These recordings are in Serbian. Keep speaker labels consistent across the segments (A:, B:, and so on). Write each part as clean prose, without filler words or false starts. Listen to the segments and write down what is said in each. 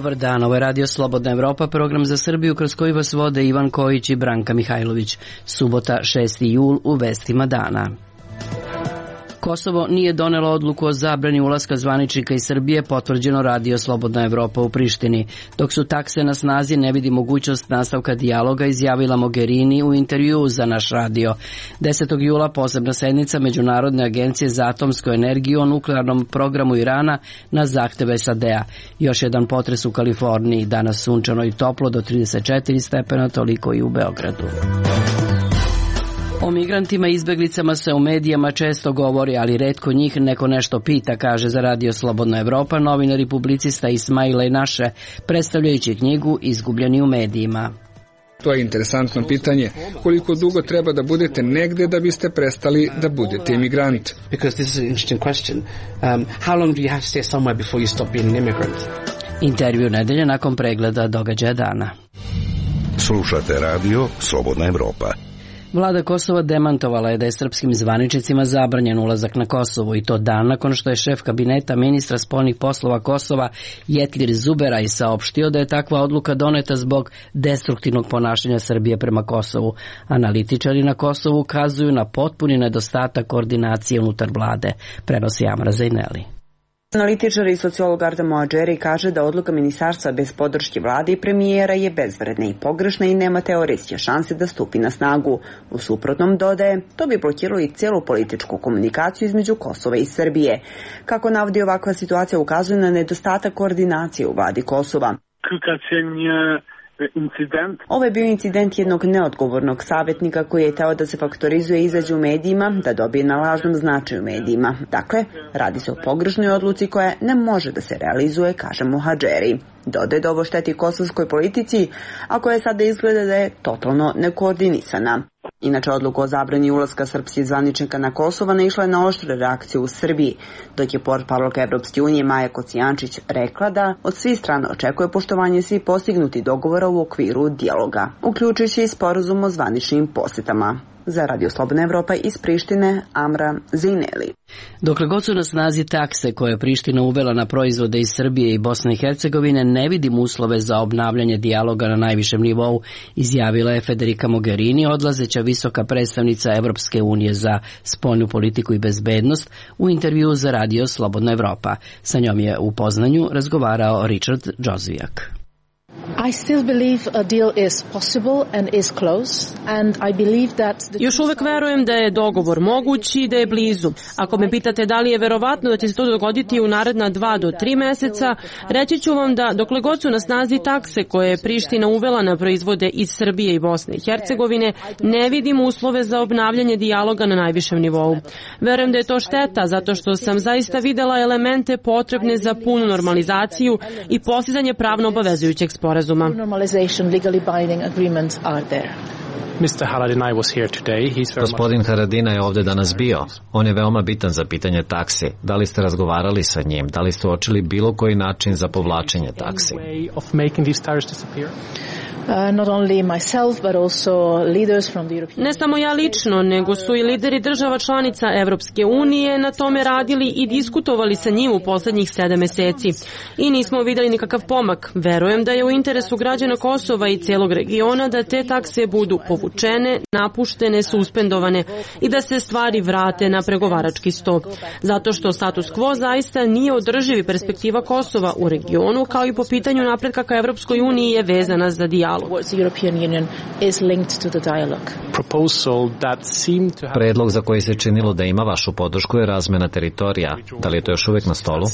A: Dobar dan, ovo je Radio Slobodna Evropa, program za Srbiju kroz koji vas vode Ivan Kojić i Branka Mihajlović. Subota, 6. jul, u vestima dana. Kosovo nije donelo odluku o zabrani ulaska zvaničnika iz Srbije, potvrđeno Radio Slobodna Evropa u Prištini. Dok su takse na snazi, ne vidi mogućnost nastavka dijaloga, izjavila Mogherini u intervjuu za naš radio. 10. jula posebna sednica Međunarodne agencije za atomsku energiju o nuklearnom programu Irana na zahteve SAD-a. Još jedan potres u Kaliforniji, danas sunčano i toplo do 34 stepena, toliko i u Beogradu. O migrantima i izbeglicama se u medijama često govori, ali retko njih neko nešto pita, kaže za Radio Slobodna Evropa novinar i publicista Ismail Enaše, predstavljajući knjigu Izgubljeni u medijima.
B: To je interesantno pitanje. Koliko dugo treba da budete negde da biste prestali da budete imigrant?
A: Intervju nedelje nakon pregleda događaja dana.
C: Slušate Radio Slobodna Evropa.
A: Vlada Kosova demantovala je da je srpskim zvaničnicima zabranjen ulazak na Kosovo, i to dan nakon što je šef kabineta ministra spoljnih poslova Kosova Jetlir Zuberaj saopštio da je takva odluka doneta zbog destruktivnog ponašanja Srbije prema Kosovu. Analitičari na Kosovu ukazuju na potpuni nedostatak koordinacije unutar vlade, prenosi Amra Zajneli.
D: Analitičar i sociolog Arda Moadžeri kaže da odluka ministarstva bez podrške vlade i premijera je bezvredna i pogrešna i nema teoretske šanse da stupi na snagu. U suprotnom, dodaje, to bi blokiralo i celu političku komunikaciju između Kosova i Srbije. Kako navodi, ovakva situacija ukazuje na nedostatak koordinacije u vladi Kosova. Ovo je bio incident jednog neodgovornog savjetnika koji je teo da se faktorizuje i izađe u medijima, da dobije na lažnom značaju u medijima. Dakle, radi se o pogrešnoj odluci koja ne može da se realizuje, kaže Moadžeri. Dodaje da ovo šteti kosovskoj politici, a koja sada izgleda da je totalno nekoordinisana. Inače, odluka o zabrani ulaska srpskih zvaničnika na Kosovo naišla je na oštre reakcije u Srbiji, dok je portparolka Evropske unije Maja Kocijančić rekla da od svih strana očekuje poštovanje svih postignutih dogovora u okviru dijaloga, uključujući i sporazum o zvaničnim posetama. Za Radio Slobodna Evropa iz Prištine, Amra Zajneli.
A: Dokle god su na snazi takse koje je Priština uvela na proizvode iz Srbije i Bosne i Hercegovine, ne vidim uslove za obnavljanje dijaloga na najvišem nivou, izjavila je Federica Mogherini, odlazeća visoka predstavnica Evropske unije za spoljnu politiku i bezbednost, u intervjuu za Radio Slobodna Evropa. Sa njom je u Poznanju razgovarao Richard Džozvijak.
E: Još uvek verujem da je dogovor moguć i da je blizu. Ako me pitate da li je verovatno da će se to dogoditi u naredna 2 do 3 meseca, reći ću vam da dokle god su na snazi takse koje je Priština uvela na proizvode iz Srbije i Bosne i Hercegovine, ne vidim uslove za obnavljanje dijaloga na najvišem nivou. Verujem da je to šteta zato što sam zaista videla elemente potrebne za punu normalizaciju i postizanje pravno obavezujućeg sporazuma.
F: Gospodin Haradinaj je ovde danas bio. On je veoma bitan za pitanje taksi. Da li ste razgovarali sa njim? Da li ste uočili bilo koji način za povlačenje taksi?
E: Ne samo ja lično, nego su i lideri država članica Evropske unije na tome radili i diskutovali sa njim u poslednjih 7 meseci. I nismo videli nikakav pomak. Verujem da je u interesu građana Kosova i celog regiona da te takse budu povučene, napuštene, suspendovane i da se stvari vrate na pregovarački sto. Zato što status quo zaista nije održiv i perspektiva Kosova u regionu, kao i po pitanju napretka ka Evropskoj uniji je vezana za dijalog.
F: Predlog za koji se činilo da ima vašu podršku je razmena teritorija. Da li je to još uvek na stolu?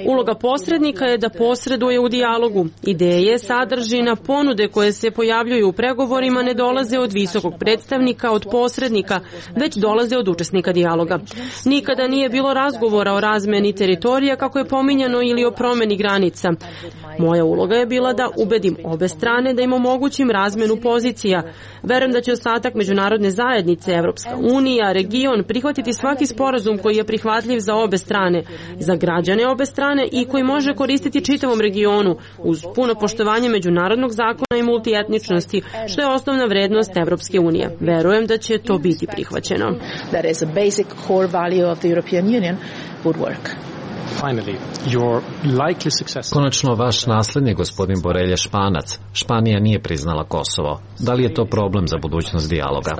E: Uloga posrednika je da posreduje u dijalogu. Ideje, sadržina, ponude koje se pojavljuju u pregovorima ne dolaze od visokog predstavnika, od posrednika, već dolaze od učesnika dijaloga. Nikada nije bilo razgovora o razmeni teritorija kako je pominjano ili o promeni granica. Moja uloga je bila da ubedim obe strane da im omogućim razmenu pozicija. Verujem da će ostatak međunarodne zajednice, Evropska unija, region prihvatiti sva svaki sporazum koji je prihvatljiv za obe strane, za građane obe strane i koji može koristiti čitavom regionu uz puno poštovanje međunarodnog zakona i multietničnosti, što je osnovna vrednost Evropske unije. Verujem da će to biti prihvaćeno.
F: Konačno, vaš naslednik, gospodin Borelj, je Španac. Španija nije priznala Kosovo. Da li je to problem za budućnost dijaloga?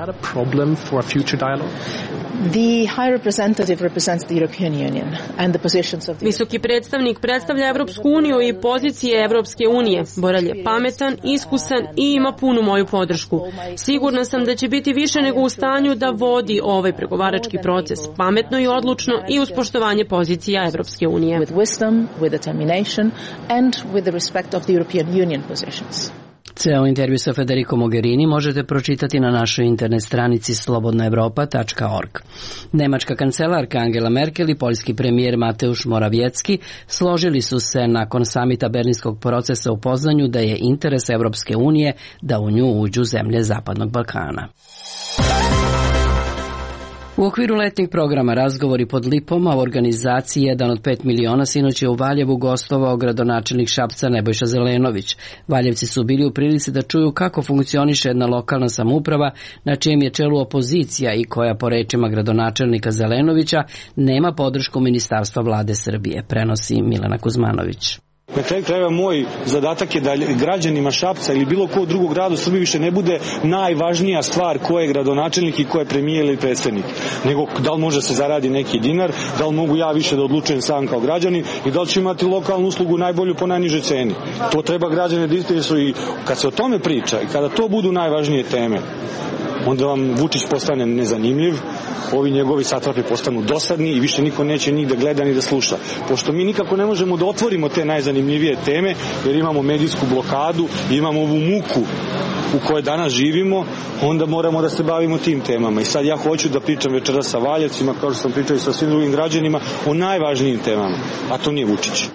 E: Visoki predstavnik predstavlja Evropsku uniju i pozicije Evropske unije. Borelj je pametan, iskusan i ima punu moju podršku. Sigurna sam da će biti više nego u stanju da vodi ovaj pregovarački proces pametno i odlučno i uz poštovanje pozicija Evropske unije.
A: Ceo intervju sa Federico Mogherini možete pročitati na našoj internet stranici slobodnaevropa.org. Nemačka kancelarka Angela Merkel i poljski premijer Mateusz Morawiecki složili su se nakon samita Berlinskog procesa u Poznanju da je interes Evropske unije da u nju uđu zemlje Zapadnog Balkana. U okviru letnjeg programa Razgovori pod lipom, a u organizaciji 1 od 5 miliona sinoć je u Valjevu gostovao gradonačelnik Šapca Nebojša Zelenović. Valjevci su bili u prilici da čuju kako funkcioniše jedna lokalna samouprava na čijem je čelu opozicija i koja, po rečima gradonačelnika Zelenovića, nema podršku Ministarstva vlade Srbije, prenosi Milena Kuzmanović.
G: Na kraju krajeva moj zadatak je da građanima Šapca ili bilo ko drugog grada u Srbiji više ne bude najvažnija stvar ko je gradonačelnik i ko je premijer ili predsednik, nego da li može se zaradi neki dinar, da li mogu ja više da odlučujem sam kao građanin i da li ću imati lokalnu uslugu najbolju po najnižoj ceni. To treba građane da interesuju i kad se o tome priča i kada to budu najvažnije teme, onda vam Vučić postane nezanimljiv, ovi njegovi satrapi postanu dosadni i više niko neće njih da gleda ni da sluša. Pošto mi nikako ne možemo da otvorimo te najzanimljivije teme, jer imamo medijsku blokadu, imamo ovu muku u kojoj danas živimo, onda moramo da se bavimo tim temama. I sad ja hoću da pričam večeras sa Valjevcima, kao što sam pričao i sa svim drugim građanima, o najvažnijim temama, a to nije Vučić.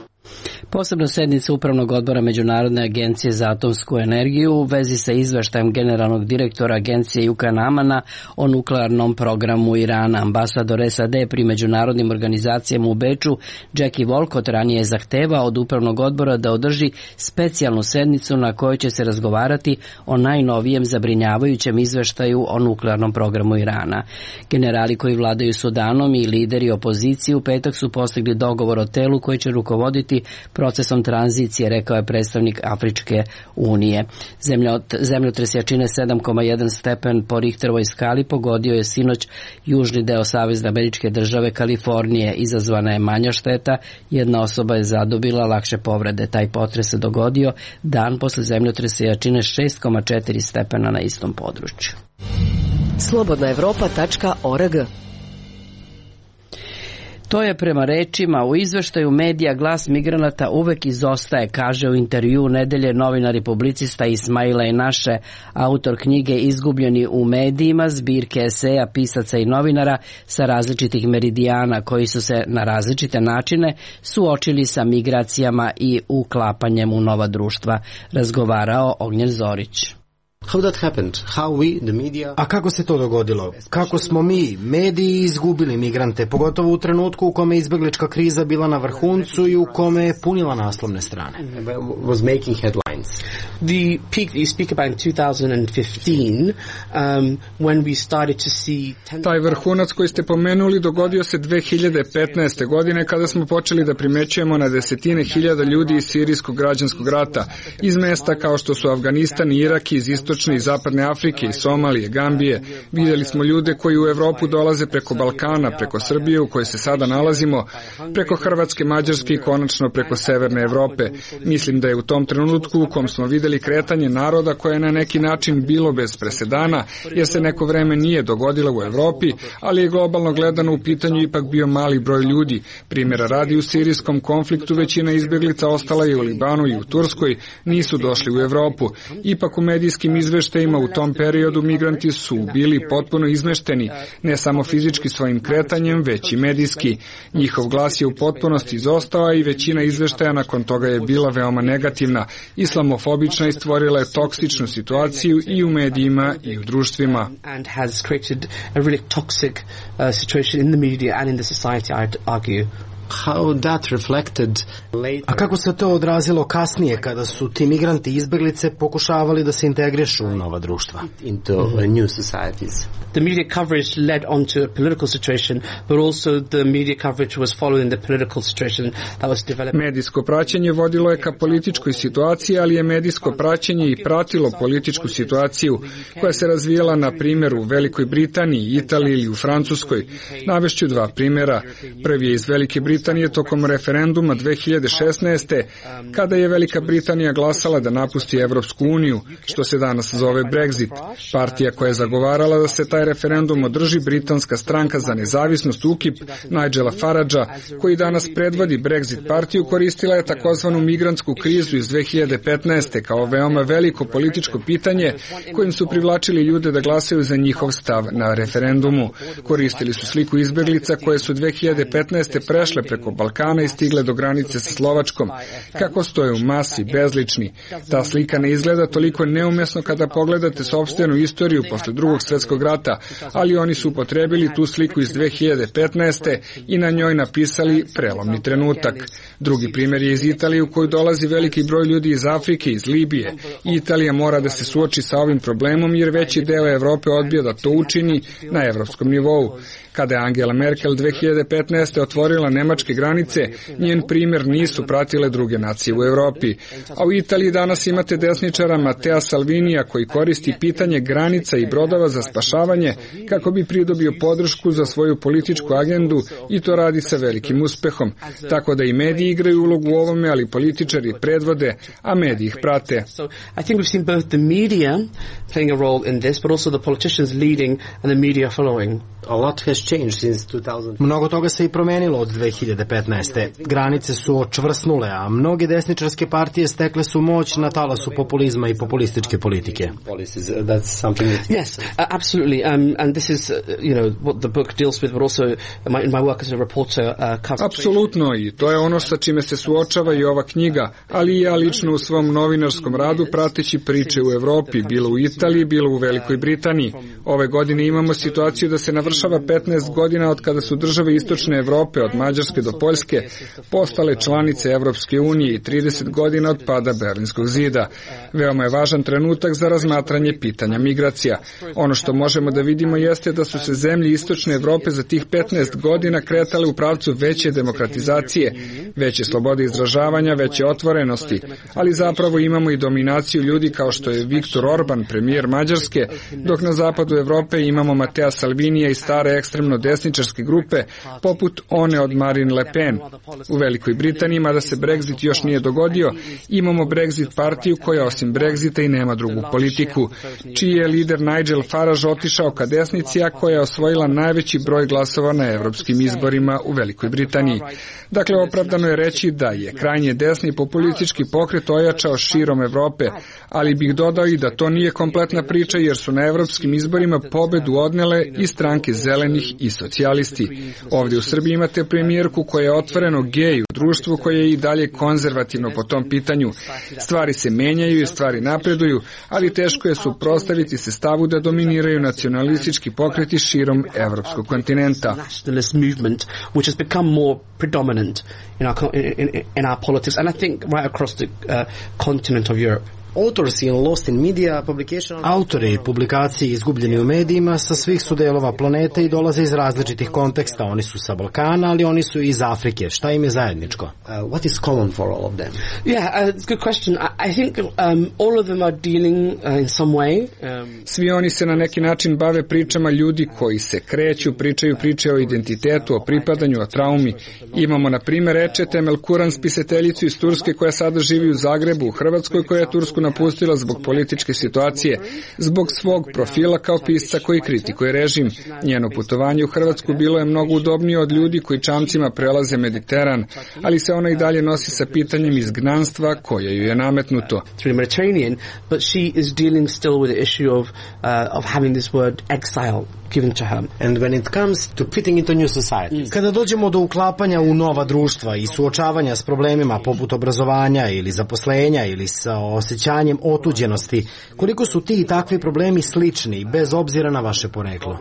A: Posebna sednica Upravnog odbora Međunarodne agencije za atomsku energiju u vezi sa izveštajem generalnog direktora agencije Juka Namana o nuklearnom programu Irana. Ambasador SAD pri međunarodnim organizacijama u Beču, Jackie Wolcott, ranije je zahtevao od Upravnog odbora da održi specijalnu sednicu na kojoj će se razgovarati o najnovijem zabrinjavajućem izveštaju o nuklearnom programu Irana. Generali koji vladaju Sudanom i lideri opozicije u petak su postigli dogovor o telu koji će rukovoditi procesom tranzicije, rekao je predstavnik Afričke unije. Zemljotres jačine 7,1 stepen po Richterovoj skali pogodio je sinoć južni deo Savezne Američke države Kalifornije. Izazvana je manja šteta, jedna osoba je zadobila lakše povrede. Taj potres se dogodio dan posle zemljotresa jačine 6,4 stepena na istom području.
H: Slobodnaevropa.org.
A: To je prema rečima u izveštaju medija Glas migranata uvek izostaje, kaže u intervju nedelje novinar i publicista Ismaila Inaše, autor knjige Izgubljeni u medijima, zbirke eseja pisaca i novinara sa različitih meridijana koji su se na različite načine suočili sa migracijama i uklapanjem u nova društva, razgovarao Ognjen Zorić.
I: A kako se to dogodilo? Kako smo mi, mediji, izgubili migrante, pogotovo u trenutku u kome je izbeglička kriza bila na vrhuncu i u kome je punila naslovne strane?
J: The peak you speak about in 2015, when we started to see...
B: Taj vrhunac koji ste pomenuli dogodio se 2015. godine kada smo počeli da primećujemo na desetine hiljada ljudi iz sirijskog građanskog rata, iz mesta kao što su Afganistan i Irak, iz istočne i zapadne Afrike, iz Somalije, Gambije. Vidjeli smo ljude koji u Evropu dolaze preko Balkana, preko Srbije u kojoj se sada nalazimo, preko Hrvatske, Mađarske i konačno preko Severne Evrope. Mislim da je u tom trenutku u kom smo vidjeli kretanje naroda koje je na neki način bilo bez presedana, jer se neko vreme nije dogodilo u Evropi, ali je globalno gledano u pitanju ipak bio mali broj ljudi. Primjera radi, u sirijskom konfliktu većina izbjeglica ostala i u Libanu i u Turskoj, nisu došli u Evropu. Ipak u medijskim izveštajima u tom periodu migranti su bili potpuno izmešteni, ne samo fizički svojim kretanjem, već i medijski. Njihov glas je u potpunosti izostao i većina izveštaja nakon toga je bila veoma negativna, islamofobična i stvorila je toksičnu situaciju i u medijima i u društvima.
I: A kako se to odrazilo kasnije kada su ti migranti i izbeglice pokušavali da se integrišu u nova društva?
J: The media coverage led onto a political situation, but also the media coverage was following the political situation that was developed.
B: Medijsko praćenje vodilo je ka političkoj situaciji, ali je medijsko praćenje i pratilo političku situaciju koja se razvijala na primjer u Velikoj Britaniji, Italiji ili u Francuskoj. Navešću dva primjera. Prvi je iz Velike Britanije tokom referenduma 2016. kada je Velika Britanija glasala da napusti Evropsku uniju, što se danas zove Brexit. Partija koja je zagovarala da se taj referendum održi, britanska stranka za nezavisnost UKIP Nigela Faragea, koji danas predvodi Brexit partiju, koristila je takozvanu migrantsku krizu iz 2015. kao veoma veliko političko pitanje kojim su privlačili ljude da glasaju za njihov stav na referendumu. Koristili su sliku izbeglica koje su 2015. prešle preko Balkana i stigle do granice sa Slovačkom. Kako stoje u masi, bezlični. Ta slika ne izgleda toliko neumesno kada pogledate sopstvenu istoriju posle Drugog svjetskog rata, ali oni su upotrebili tu sliku iz 2015. i na njoj napisali prelomni trenutak. Drugi primjer je iz Italije u koju dolazi veliki broj ljudi iz Afrike, iz Libije. Italija mora da se suoči sa ovim problemom jer veći deo Evrope odbija da to učini na evropskom nivou. Kada je Angela Merkel 2015. otvorila nemačke granice, njen primjer nisu pratile druge nacije u Evropi. A u Italiji danas imate desničara Matteo Salvinija koji koristi pitanje granica i brodova za spašavanje kako bi pridobio podršku za svoju političku agendu i to radi sa velikim uspehom. Tako da i mediji igraju ulogu u ovome, ali političari predvode, a mediji ih prate.
J: I think we've seen both the media playing a role in this, but also the politicians leading and the media following.
I: A lot has changed since 2000. Mnogo toga se i promenilo od 2015. Granice su očvrsnule, a mnoge desničarske partije stekle su moć na talasu populizma i populističke politike.
J: Yes, absolutely. And this is, what the book deals with, but also in my work as a reporter covers.
B: Apsolutno, i to je ono sa čime se suočava i ova knjiga, ali i ja lično u svom novinarskom radu prateći priče u Evropi, bilo u Italiji, bilo u Velikoj Britaniji. Ove godine imamo situaciju da se navršava 15 godina od kada su države Istočne Evrope, od Mađarske do Poljske, postale članice Evropske unije i 30 godina od pada Berlinskog zida. Veoma je važan trenutak za razmatranje pitanja migracija. Ono što možemo da vidimo jeste da su se zemlje Istočne Evrope za tih 15 godina kretale u pravcu veće demokratizacije, veće slobode izražavanja, veće otvorenosti, ali zapravo imamo i dominaciju ljudi kao što je Viktor Orban, premijer Mađarske, dok na zapadu Evrope imamo Matea Salvinija i stare ekstremno desničarske grupe, poput one od Marine Le Pen. U Velikoj Britaniji, mada se Brexit još nije dogodio, imamo Brexit partiju koja osim Brexita i nema drugu politiku, čiji je lider Nigel Farage otišao ka desnici, a koja je osvojila najveći broj glasova na evropskim izborima u Velikoj Britaniji. Dakle, opravdano je reći da je krajnje desni populistički pokret ojačao širom Evrope, ali bih dodao i da to nije kompletna priča jer su na evropskim izborima pobedu odnele i stranke zelenih i socijalisti. Ovdje u Srbiji imate premijerku koja je otvoreno gej u društvu koje je i dalje konzervativno po tom pitanju. Stvari se menjaju i stvari napreduju, ali teško je suprotstaviti se stavu da dominiraju nacionalistički pokreti širom evropskog kontinenta.
J: In our politics, and I think right across the continent of Europe.
I: Autori publikacije izgubljeni u medijima sa svih su delova planete i dolaze iz različitih konteksta. Oni su sa Balkana, ali oni su i iz Afrike. Šta im je zajedničko?
J: What is common for all of them? Yeah, it's a good question. I think all of them are dealing in some way.
B: Svi oni se na neki način bave pričama ljudi koji se kreću, pričaju priče o identitetu, o pripadanju, o traumi. Imamo na primjer Ece Temel Kuran, spisateljicu iz Turske koja sada živi u Zagrebu, u Hrvatskoj, koja je tursku napustila zbog političke situacije, zbog svog profila kao pisca koji kritikuje režim. Njeno putovanje u Hrvatsku bilo je mnogo udobnije od ljudi koji čamcima prelaze Mediteran, ali se ona i dalje nosi sa pitanjem izgnanstva koje ju je nametnuto.
J: But she is dealing still with the issue of having this word exile given to her.
I: And when it comes to fitting into new society. Kada dođemo do uklapanja u nova društva i suočavanja s problemima poput obrazovanja ili zaposlenja ili sa osjećanjem otuđenosti, koliko su ti i takvi problemi slični bez obzira na vaše poreklo?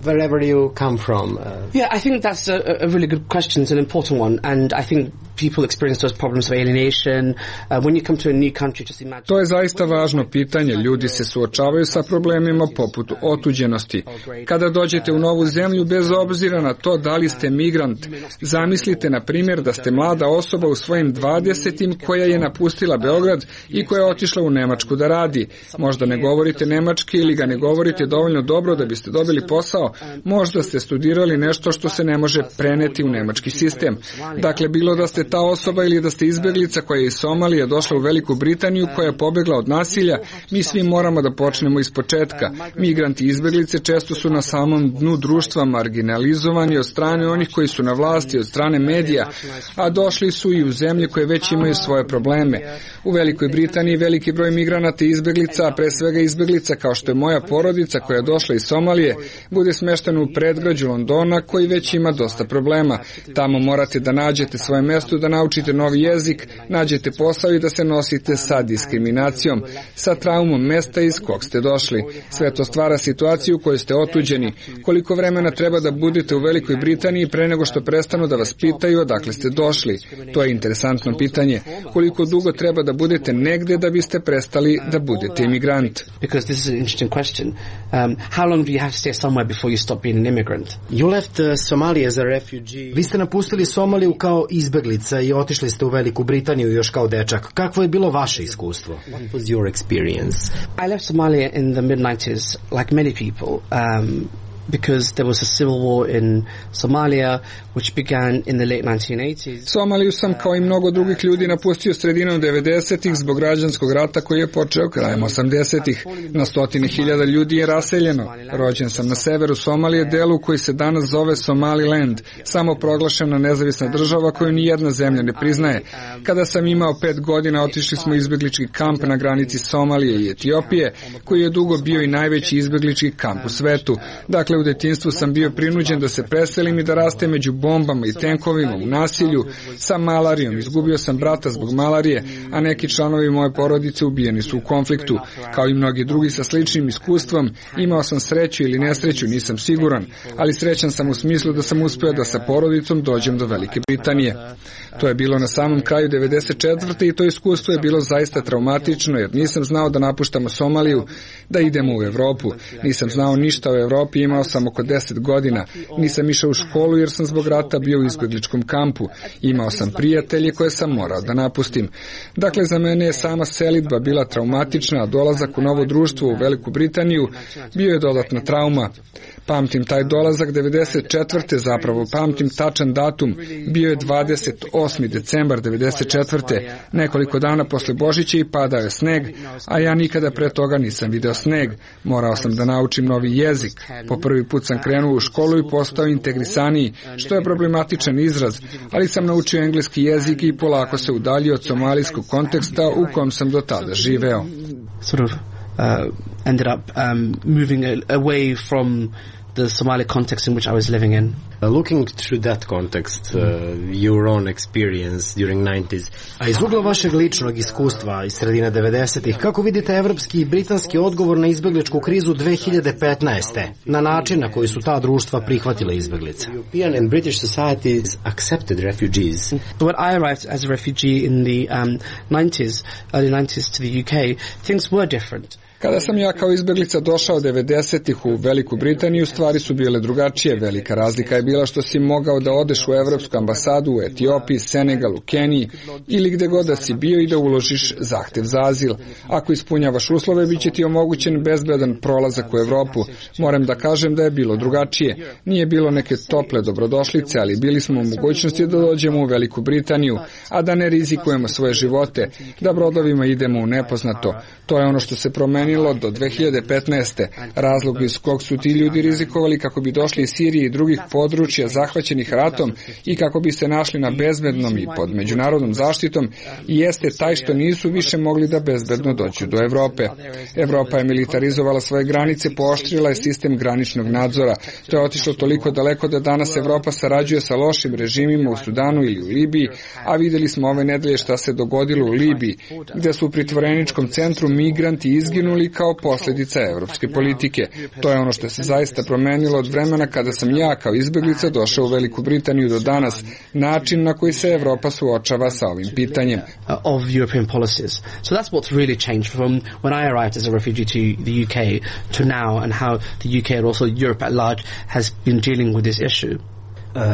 J: Wherever you come from. Yeah, I think that's a really good question. It's an important one, and I think people experience those problems of alienation. When you come to a new country, just imagine.
B: To je zaista važno pitanje. Ljudi se suočavaju sa problemima poput otuđenosti. Kada dođete u novu zemlju, bez obzira na to da li ste migrant, zamislite na primjer da ste mlada osoba u svojim 20. koja je napustila Beograd i koja je otišla u Nemačku da radi. Možda ne govorite nemački ili ga ne govorite dovoljno dobro da biste dobili posao. Možda ste studirali nešto što se ne može preneti u nemački sistem. Dakle, bilo da ste ta osoba ili da ste izbeglica koja je iz Somalije došla u Veliku Britaniju, koja je pobegla od nasilja, mi svi moramo da počnemo iz početka. Migranti i izbeglice često su na samom dnu društva marginalizovani od strane onih koji su na vlasti, od strane medija, a došli su i u zemlje koje već imaju svoje probleme. U Velikoj Britaniji veliki broj migranata i izbeglica, a pre svega izbeglica kao što je moja porodica koja je došla iz Somalije, bude smeštena u predgrađu Londona koji već ima dosta problema. Tamo morate da nađete svoje mesto, da naučite novi jezik, nađete posao i da se nosite sa diskriminacijom, sa traumom mesta iz kog ste došli. Sve to stvara situaciju u kojoj ste otuđeni. Koliko vremena treba da budete u Velikoj Britaniji pre nego što prestanu da vas pitaju odakle ste došli? To je interesantno pitanje. Koliko dugo treba da budete negde da biste prestali da budete imigrant?
J: Because this is an interesting question. How long do you have to stay somewhere before you stop being an immigrant?
I: You left Somalia as a refugee. Vi ste napustili Somaliju kao izbeglica i otišli ste u Veliku Britaniju još kao dečak. Kakvo je bilo vaše iskustvo?
J: What was your experience? I left Somalia in the mid-90s, like many people. Because there was a civil war in Somalia which began in the late 1980s.
B: Somaliju sam kao i mnogo drugih ljudi napustio sredinom 90-ih zbog građanskog rata koji je počeo krajem 80-ih. Na stotine hiljada ljudi je raseljeno. Rođen sam na severu Somalije, delu koji se danas zove Somaliland, samo proglašena nezavisna država koju ni jedna zemlja ne priznaje. Kada sam imao 5 godina, otišli smo u izbeglički kamp na granici Somalije i Etiopije, koji je dugo bio i najveći izbeglički kamp u svetu. Dakle, u detinjstvu sam bio prinuđen da se preselim i da rastem među bombama i tenkovima, u nasilju, sa malarijom. Izgubio sam brata zbog malarije, a neki članovi moje porodice ubijeni su u konfliktu. Kao i mnogi drugi sa sličnim iskustvom, imao sam sreću ili nesreću, nisam siguran, ali srećan sam u smislu da sam uspeo da sa porodicom dođem do Velike Britanije. To je bilo na samom kraju 94. i to iskustvo je bilo zaista traumatično, jer nisam znao da napuštamo Somaliju, da idemo u Evropu. Nisam znao ništa o Evropi, imao sam oko 10 godina. Nisam išao u školu jer sam zbog rata bio u izbegličkom kampu. Imao sam prijatelje koje sam morao da napustim. Dakle, za mene je sama selidba bila traumatična, a dolazak u novo društvo u Veliku Britaniju bio je dodatna trauma. Pamtim taj dolazak 94. zapravo, pamtim tačan datum, bio je 28. decembar 94. Nekoliko dana posle Božića i padao je sneg, a ja nikada pre toga nisam video sneg. Morao sam da naučim novi jezik. Po prvi put sam krenuo u školu i postao integrisaniji, što je problematičan izraz, ali sam naučio engleski jezik i polako se udaljio od somalijskog konteksta u kom sam do tada živeo.
J: Ended up moving away from the Somali context in which I was living in.
I: Looking through that context, your own experience during 90s. A iz ugla vašeg ličnog iskustva iz sredine 90-ih, kako vidite evropski i britanski odgovor na izbegličku krizu 2015. na način na koji su ta društva prihvatile izbeglice?
J: European and British societies accepted refugees. When I arrived as a refugee in the 90s, early 90s to the UK, things were different.
B: Kada sam ja kao izbeglica došao 90-ih u Veliku Britaniju, stvari su bile drugačije. Velika razlika je bila što si mogao da odeš u Evropsku ambasadu u Etiopiji, Senegalu, Keniji ili gde god da si bio i da uložiš zahtev za azil. Ako ispunjavaš uslove, bit će ti omogućen bezbedan prolazak u Evropu. Moram da kažem da je bilo drugačije. Nije bilo neke tople dobrodošlice, ali bili smo u mogućnosti da dođemo u Veliku Britaniju, a da ne rizikujemo svoje živote, da brodovima idemo u nepoznato. To je ono što se promenilo do 2015. Razlog iz kog su ti ljudi rizikovali kako bi došli iz Sirije i drugih područja zahvaćenih ratom i kako bi se našli na bezbednom i pod međunarodnom zaštitom jeste taj što nisu više mogli da bezbedno dođu do Evrope. Evropa je militarizovala svoje granice, pooštrila je sistem graničnog nadzora. To je otišlo toliko daleko da danas Evropa sarađuje sa lošim režimima u Sudanu ili u Libiji, a videli smo ove nedelje šta se dogodilo u Libiji, gde su u pritvoreničkom centru migranti izginuli kao posljedica evropske politike. To je ono što se zaista promenilo od vremena kada sam ja kao izbeglica došao u Veliku Britaniju do danas, način na koji se Evropa suočava sa ovim pitanjem.
J: Of European policies. So that's what's really changed from when I arrived as a refugee to the UK to now, and how the UK and also Europe at large has been dealing with this issue.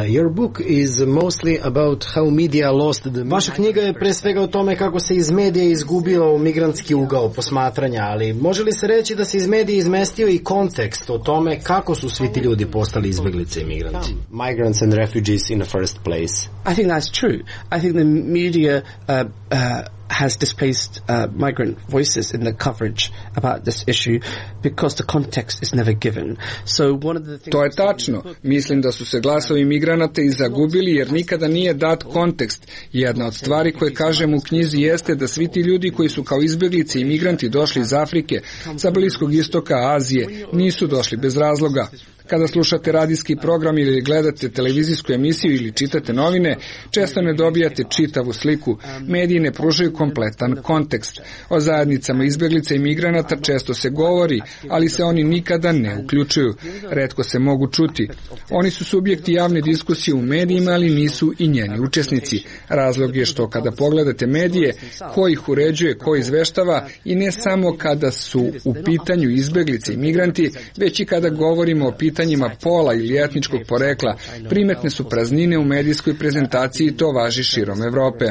I: Your book is mostly about how media lost the... Vaša knjiga je pre svega o tome kako se iz medija izgubio migrantski ugao posmatranja, ali može li se reći da se iz medija izmestio i kontekst o tome kako su svi ti ljudi postali izbeglice i migranti? Migrants and refugees in the first place.
J: I think that's true. I think the media has displaced migrant voices in the coverage about this issue because the context is never given. So one of the things...
B: To je tačno. Mislim da su se glasovi migranata i zagubili jer nikada nije dat kontekst. Jedna od stvari koje kažem u knjizi jeste da svi ti ljudi koji su kao izbeglice i migranti došli iz Afrike, sa Bliskog istoka, Azije, nisu došli bez razloga. Kada slušate radijski program ili gledate televizijsku emisiju ili čitate novine, često ne dobijate čitavu sliku. Mediji ne pružaju kompletan kontekst. O zajednicama izbeglica i migranata često se govori, ali se oni nikada ne uključuju. Retko se mogu čuti. Oni su subjekti javne diskusije u medijima, ali nisu i njeni učesnici. Razlog je što kada pogledate medije, ko ih uređuje, ko izveštava, i ne samo kada su u pitanju izbeglice i migranti, već i kada govorimo o pitanjima pola ili etničkog porekla, primetne su praznine u medijskoj prezentaciji i to važi širom Evrope.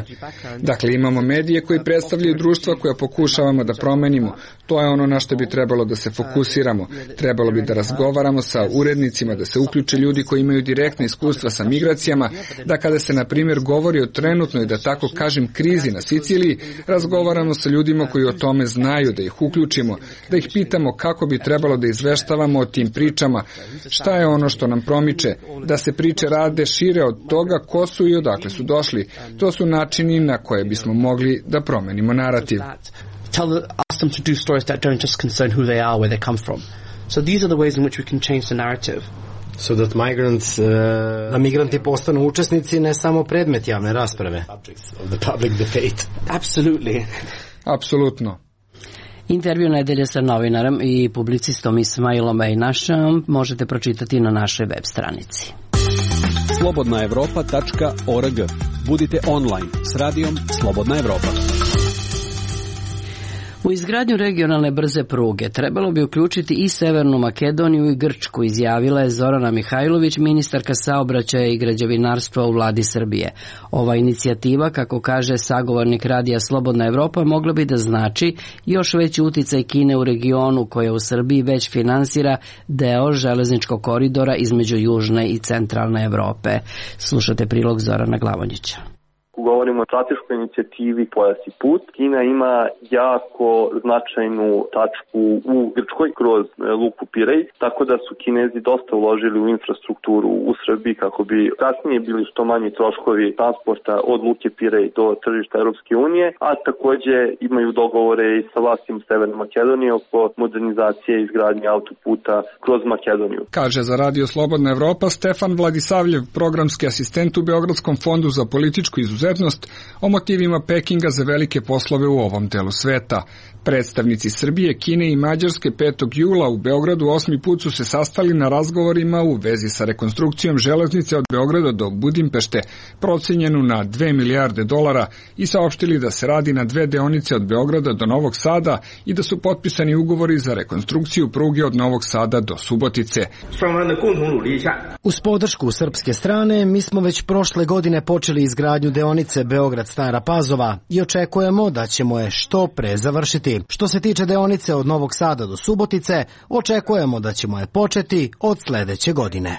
B: Dakle, imamo medije koji predstavljaju društva koja pokušavamo da promenimo. To je ono na što bi trebalo da se fokusiramo. Trebalo bi da razgovaramo sa urednicima, da se uključe ljudi koji imaju direktne iskustva sa migracijama, da kada se, na primjer, govori o trenutnoj, da tako kažem, krizi na Siciliji, razgovaramo sa ljudima koji o tome znaju, da ih uključimo, da ih pitamo kako bi trebalo da izveštavamo o tim pričama, šta je ono što nam promiče, da se priče rade šire od toga ko su i odakle su došli. To su načini na koje bismo mogli da promenimo narativ.
J: Ask them to do stories that don't just concern who they are, where they come from. So these are the ways in which we can change the narrative.
I: So that migrants, da migranti postanu učesnici, ne samo predmet javne rasprave. Of the public debate.
J: Absolutely.
B: Apsolutno.
A: Intervju nedelje sa novinarom i publicistom Ismailom Ejnašom možete pročitati na našoj web stranici.
H: slobodnaevropa.org. Budite online s radijom Slobodna Evropa.
A: U izgradnju regionalne brze pruge trebalo bi uključiti i Severnu Makedoniju i Grčku, izjavila je Zorana Mihajlović, ministarka saobraćaja i građevinarstva u vladi Srbije. Ova inicijativa, kako kaže sagovornik radija Slobodna Evropa, mogla bi da znači još veći uticaj Kine u regionu, koja u Srbiji već finansira deo železničkog koridora između južne i centralne Evrope. Slušate prilog Zorana Glavonjića.
K: Govorimo o strateškoj inicijativi Pojas i put. Kina ima jako značajnu tačku u Grčkoj kroz luku Pirej, tako da su Kinezi dosta uložili u infrastrukturu u Srbiji kako bi kasnije bili što manji troškovi transporta od luke Pirej do tržišta Europske unije, a takođe imaju dogovore i sa vlastima Severne Makedonije oko modernizacije i izgradnje autoputa kroz Makedoniju.
B: Kaže za Radio Slobodna Evropa Stefan Vladisavljev, programski asistent u Beogradskom fondu za političku izuzetnost nepokretnost o motivima Pekinga za velike poslove u ovom delu sveta. Predstavnici Srbije, Kine i Mađarske 5. jula u Beogradu 8. put su se sastali na razgovorima u vezi sa rekonstrukcijom železnice od Beograda do Budimpešte, procenjenu na $2 milijarde i saopštili da se radi na 2 deonice od Beograda do Novog Sada i da su potpisani ugovori za rekonstrukciju pruge od Novog Sada do Subotice.
I: Uz podršku srpske strane, mi smo već prošle godine počeli izgradnju deonice Beograd-Stara Pazova i očekujemo da ćemo je što pre završiti. Što se tiče deonice od Novog Sada do Subotice, očekujemo da ćemo je početi od sledeće godine.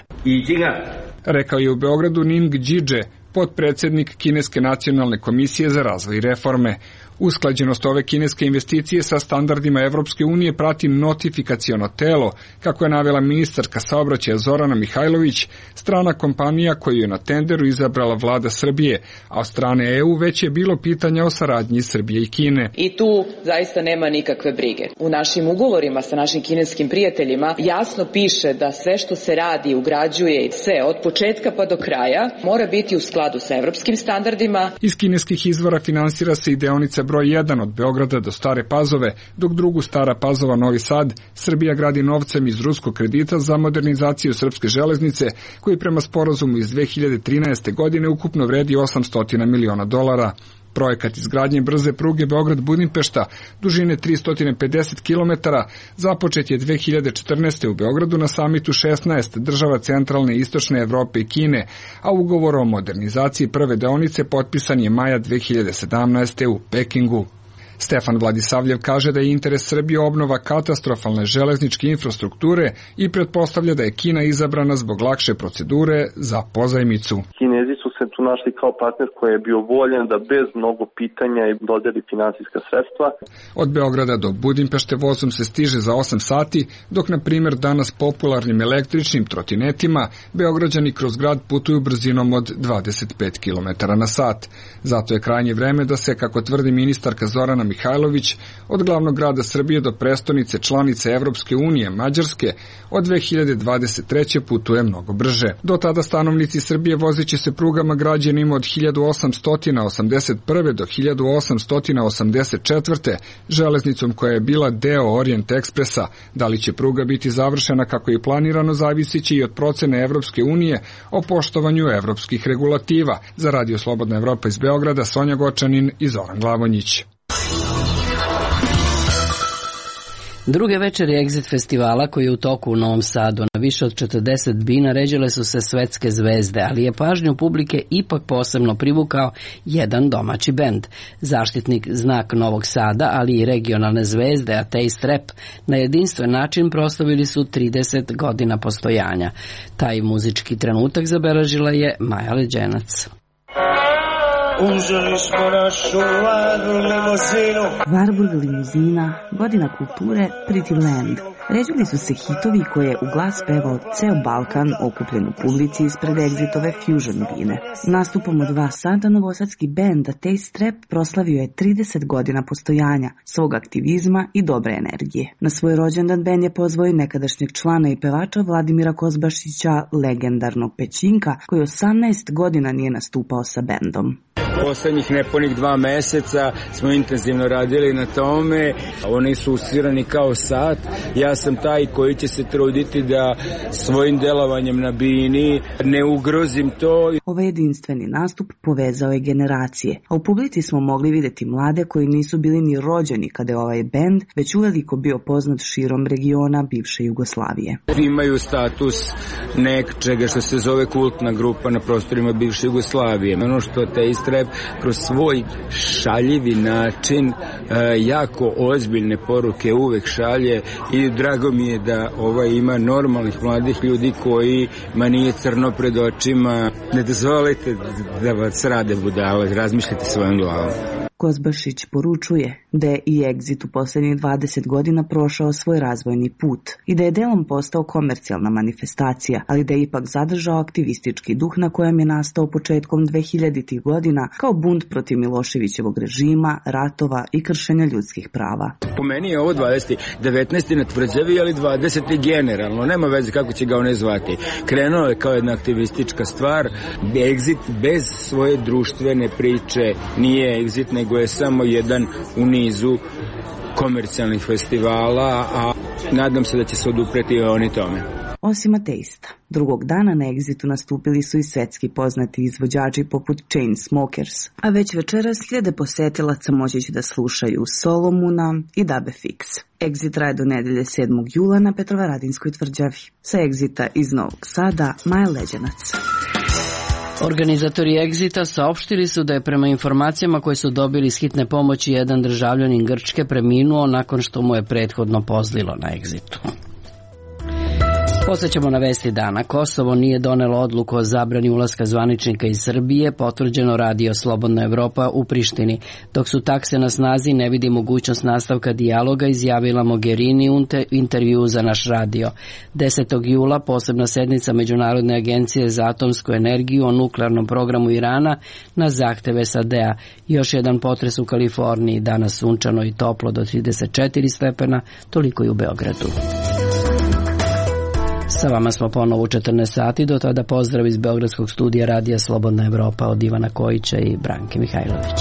B: Rekao je u Beogradu Ning Đidže, potpredsednik Kineske nacionalne komisije za razvoj i reforme. Usklađenost ove kineske investicije sa standardima Evropske unije prati notifikaciono telo, kako je navela ministarka saobraćaja Zorana Mihajlović, strana kompanija koju je na tenderu izabrala vlada Srbije, a od strane EU već je bilo pitanja o saradnji Srbije i Kine.
L: I tu zaista nema nikakve brige. U našim ugovorima sa našim kineskim prijateljima jasno piše da sve što se radi, ugrađuje i sve od početka pa do kraja mora biti u skladu sa evropskim standardima.
B: Iz kineskih izvora finansira se i deonica broj 1 od Beograda do Stare Pazove, dok drugu Stara Pazova Novi Sad Srbija gradi novcem iz ruskog kredita za modernizaciju srpske železnice, koji prema sporazumu iz 2013. godine ukupno vredi $800 miliona. Projekat izgradnje brze pruge Beograd-Budimpešta, dužine 350 km, započet je 2014. u Beogradu na samitu 16 država centralne i istočne Evrope i Kine, a ugovor o modernizaciji prve deonice potpisan je maja 2017. u Pekingu. Stefan Vladisavljev kaže da je interes Srbije obnova katastrofalne železničke infrastrukture i pretpostavlja da je Kina izabrana zbog lakše procedure za pozajmicu.
K: Kinezi su se tu našli kao partner koji je bio voljen da bez mnogo pitanja i dodeli finansijska sredstva.
B: Od Beograda do Budimpešte vozom se stiže za 8 sati, dok na primjer danas popularnim električnim trotinetima Beograđani kroz grad putuju brzinom od 25 km na sat. Zato je krajnje vreme da se, kako tvrdi ministarka Zorana Mihajlović, od glavnog grada Srbije do prestonice članice Evropske unije Mađarske od 2023. putuje mnogo brže. Do tada stanovnici Srbije vozeći se prugama građenim od 1881. do 1884. železnicom koja je bila deo Orient Ekspresa. Da li će pruga biti završena kako je planirano zavisiće i od procene Evropske unije o poštovanju evropskih regulativa. Za Radio Slobodna Evropa iz Beograda, Sonja Gočanin i Zoran Glavonjić.
A: Druge večeri Exit festivala koji je u toku u Novom Sadu na više od 40 bina ređale su se svetske zvezde, ali je pažnju publike ipak posebno privukao jedan domaći bend. Zaštitnik Znak Novog Sada, ali i regionalne zvezde, a Taste Rap, na jedinstven način proslavili su 30 godina postojanja. Taj muzički trenutak zabeležila je Maja Leđenac.
M: Uzeli smo našu Warburg limuzina, godina kulture, Pretty Land. Ređali su se hitovi koje je u glas pevao ceo Balkan okupljen u publici ispred Exitove Fusion bine. Nastupom od 2 sata novosadski bend Taste Rap proslavio je 30 godina postojanja, svog aktivizma i dobre energije. Na svoj rođendan bend je pozvao i nekadašnjeg člana i pevača Vladimira Kozbašića, legendarnog Pećinka, koji 18 godina nije nastupao sa bendom.
N: Poslednjih nepunih 2 meseca smo intenzivno radili na tome. Oni su usvirani kao sat. Ja sam taj koji će se truditi da svojim delovanjem na bini ne ugrozim to.
M: Ovaj jedinstveni nastup povezao je generacije, a u publici smo mogli videti mlade koji nisu bili ni rođeni kada je ovaj bend već uveliko bio poznat širom regiona bivše Jugoslavije.
N: Imaju status nečega što se zove kultna grupa na prostorima bivše Jugoslavije. Ono što Taste Rap kroz svoj šaljivi način jako ozbiljne poruke uvek šalje i drago mi je da ima normalnih mladih ljudi kojima nije crno pred očima. Ne dozvolite da vas rade budale, razmišljate svojom glavom.
M: Kozbašić poručuje da je i Exit u posljednjih 20 godina prošao svoj razvojni put i da je delom postao komercijalna manifestacija, ali da je ipak zadržao aktivistički duh na kojem je nastao početkom 2000-ih godina kao bunt protiv Miloševićevog režima, ratova i kršenja ljudskih prava.
N: Po meni je ovo 19. na tvrđavi, ali 20. generalno, nema veze kako će ga one zvati. Krenuo je kao jedna aktivistička stvar. Exit bez svoje društvene priče nije Exit, nego je samo jedan u nizu komercijalnih festivala, a nadam se da će se odupreti oni tome.
M: Osim ateista, drugog dana na Exitu nastupili su i svetski poznati izvođači poput Chainsmokers, a već večeras hiljade posetilaca moći će da slušaju Solomuna i Dabe Fix. Exit traje do nedelje 7. jula na Petrovaradinskoj tvrđavi. Sa Exita iz Novog Sada, Maja Leđanac.
A: Organizatori Exita saopštili su da je prema informacijama koje su dobili iz hitne pomoći jedan državljanin Grčke preminuo nakon što mu je prethodno pozlilo na Exitu. Posjećamo na vesti dana. Kosovo nije donelo odluku o zabrani ulaska zvaničnika iz Srbije, potvrđeno radio Slobodna Evropa u Prištini. Dok su takse na snazi, ne vidi mogućnost nastavka dijaloga, izjavila Mogherini u intervju za naš radio. 10. jula posebna sednica Međunarodne agencije za atomsku energiju o nuklearnom programu Irana na zahteve SAD-a. Još jedan potres u Kaliforniji, danas sunčano i toplo do 34 stepena, toliko i u Beogradu. Sa vama smo ponovo u 14 sati, do tada pozdrav iz Beogradskog studija radija Slobodna Evropa od Ivana Kojića i Branke Mihajlović.